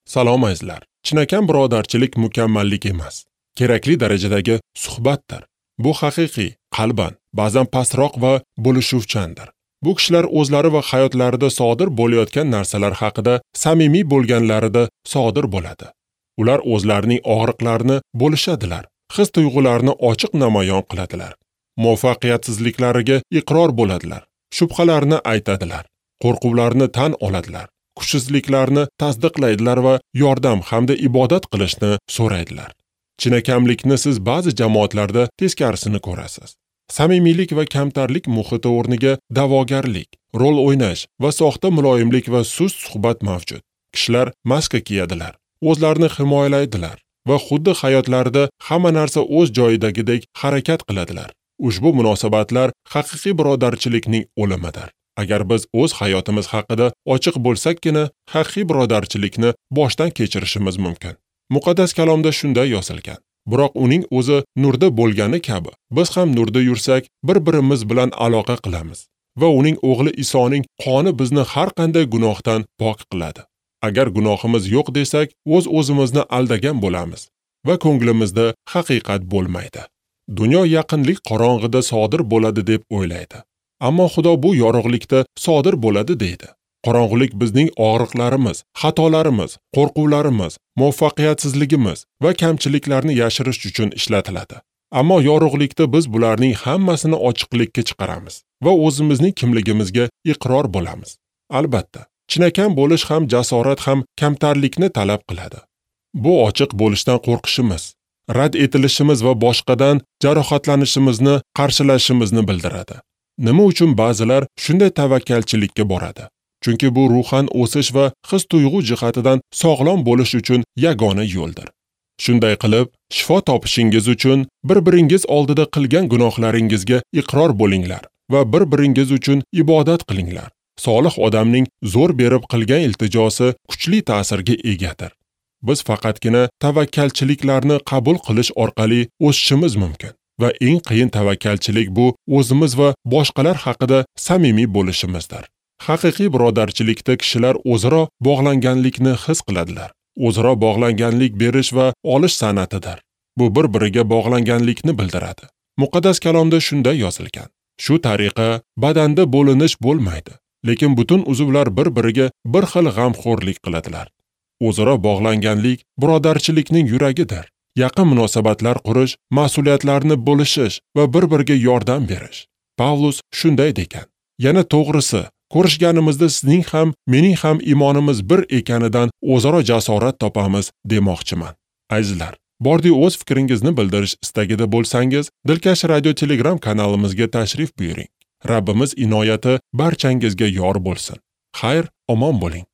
Salom azizlar. Chinakam birodarchilik mukammallik emas, kerakli darajadagi suhbatdir. Bu haqiqiy, qalban, ba'zan pastroq va bo'lishuvchandir. Bu kishilar o'zlari va hayotlarida sodir bo'layotgan narsalar haqida samimiy bo'lganlarida sodir bo'ladi. Ular o'zlarining og'riqlarini bo'lishadilar, his-tuyg'ularini ochiq namoyon qiladilar. Muvaffaqiyatsizliklariga iqror bo'ladilar, shubhalarni aytadilar, qo'rquvlarni tan oladilar, kuchsizliklarni tasdiqlaydilar va yordam hamda ibodat qilishni so'raydilar. Chinakamlikni siz ba'zi jamoatlarda teskarisini ko'rasiz. Samimiylik va kamtarlik muhiti o'rniga da'vogarlik, rol o'ynash va soxta muloyimlik va sust suhbat mavjud. Kishilar maska kiyadilar, o'zlarini himoyalaydilar va xuddi hayotlarida hamma narsa o'z joyidagidek harakat qiladilar. Ushbu munosabatlar haqiqiy birodarchilikning o'limidir. Agar biz o'z hayotimiz haqida ochiq bo'lsakkina, haqiqiy birodarchilikni boshdan kechirishimiz mumkin. Muqaddas kalomda shunday yozilgan: biroq uning o'zi nurda bo'lgani kabi, biz ham nurda yursak, bir-birimiz bilan aloqa qilamiz va uning o'g'li Isoning qoni bizni har qanday gunohdan pok qiladi. Agar gunohimiz yo'q desak, o'z-o'zimizni aldagan bo'lamiz va ko'nglimizda haqiqat bo'lmaydi. Dunyo yaqinlik qorong'ida sodir bo'ladi deb o'ylaydi. Ammo Xudo bu yorug'likda sodir bo'ladi deydi. Qorong'ulik bizning og'riqlarimiz, xatolarimiz, qo'rquvlarimiz, muvaffaqiyatsizligimiz va kamchiliklarni yashirish uchun ishlatiladi. Ammo yorug'likda biz bularning hammasini ochiqlikka chiqaramiz va o'zimizning kimligimizga iqror bo'lamiz. Albatta, chinakam bo'lish ham jasorat ham kamtarlikni talab qiladi. Bu ochiq bo'lishdan qo'rqishimiz, rad etilishimiz va boshqadan jarohatlanishimizni qarshilashimizni bildiradi. Nima uchun ba'zilar shunday tavakkalchilikka boradi? Chunki bu ruhan o'sish va his-tuyg'u jihatidan sog'lom bo'lish uchun yagona yo'ldir. Shunday qilib, shifo topishingiz uchun bir-biringiz oldida qilgan gunohlaringizga iqror bo'linglar va bir-biringiz uchun ibodat qilinglar. Solih odamning zo'r berib qilgan iltijosi kuchli ta'sirga egadir. Biz faqatgina tavakkalchiliklarni qabul qilish orqali o'sishimiz mumkin va eng qiyin tavakkalchilik bu o'zimiz va boshqalar haqida samimiy bo'lishimizdir. Haqiqiy birodarchilikda kishilar o'zaro bog'langanlikni his qiladilar. O'zaro bog'langanlik berish va olish san'atidir. Bu bir-biriga bog'langanlikni bildiradi. Muqaddas kalomda shunday yozilgan: shu tariqa badanda bo'linish bo'lmaydi, lekin butun uzvlar bir-biriga bir xil g'amxo'rlik qiladilar. O'zaro bog'langanlik birodarchilikning yuragidir. Yaqin munosabatlar qurish, mas'uliyatlarni bo'lishish va bir-biriga yordam berish. Pavlus shunday degan: yana to'g'risi, ko'rishganimizda sizning ham, mening ham iymonimiz bir ekanidan o'zaro jasorat topamiz demoqchiman. Azizlar, bordi o'z fikringizni bildirish istagida bo'lsangiz, Dilkash Radio Telegram kanalimizga tashrif buyuring. Rabbimiz inoyati barchangizga yor bo'lsin. Xayr, omon bo'ling.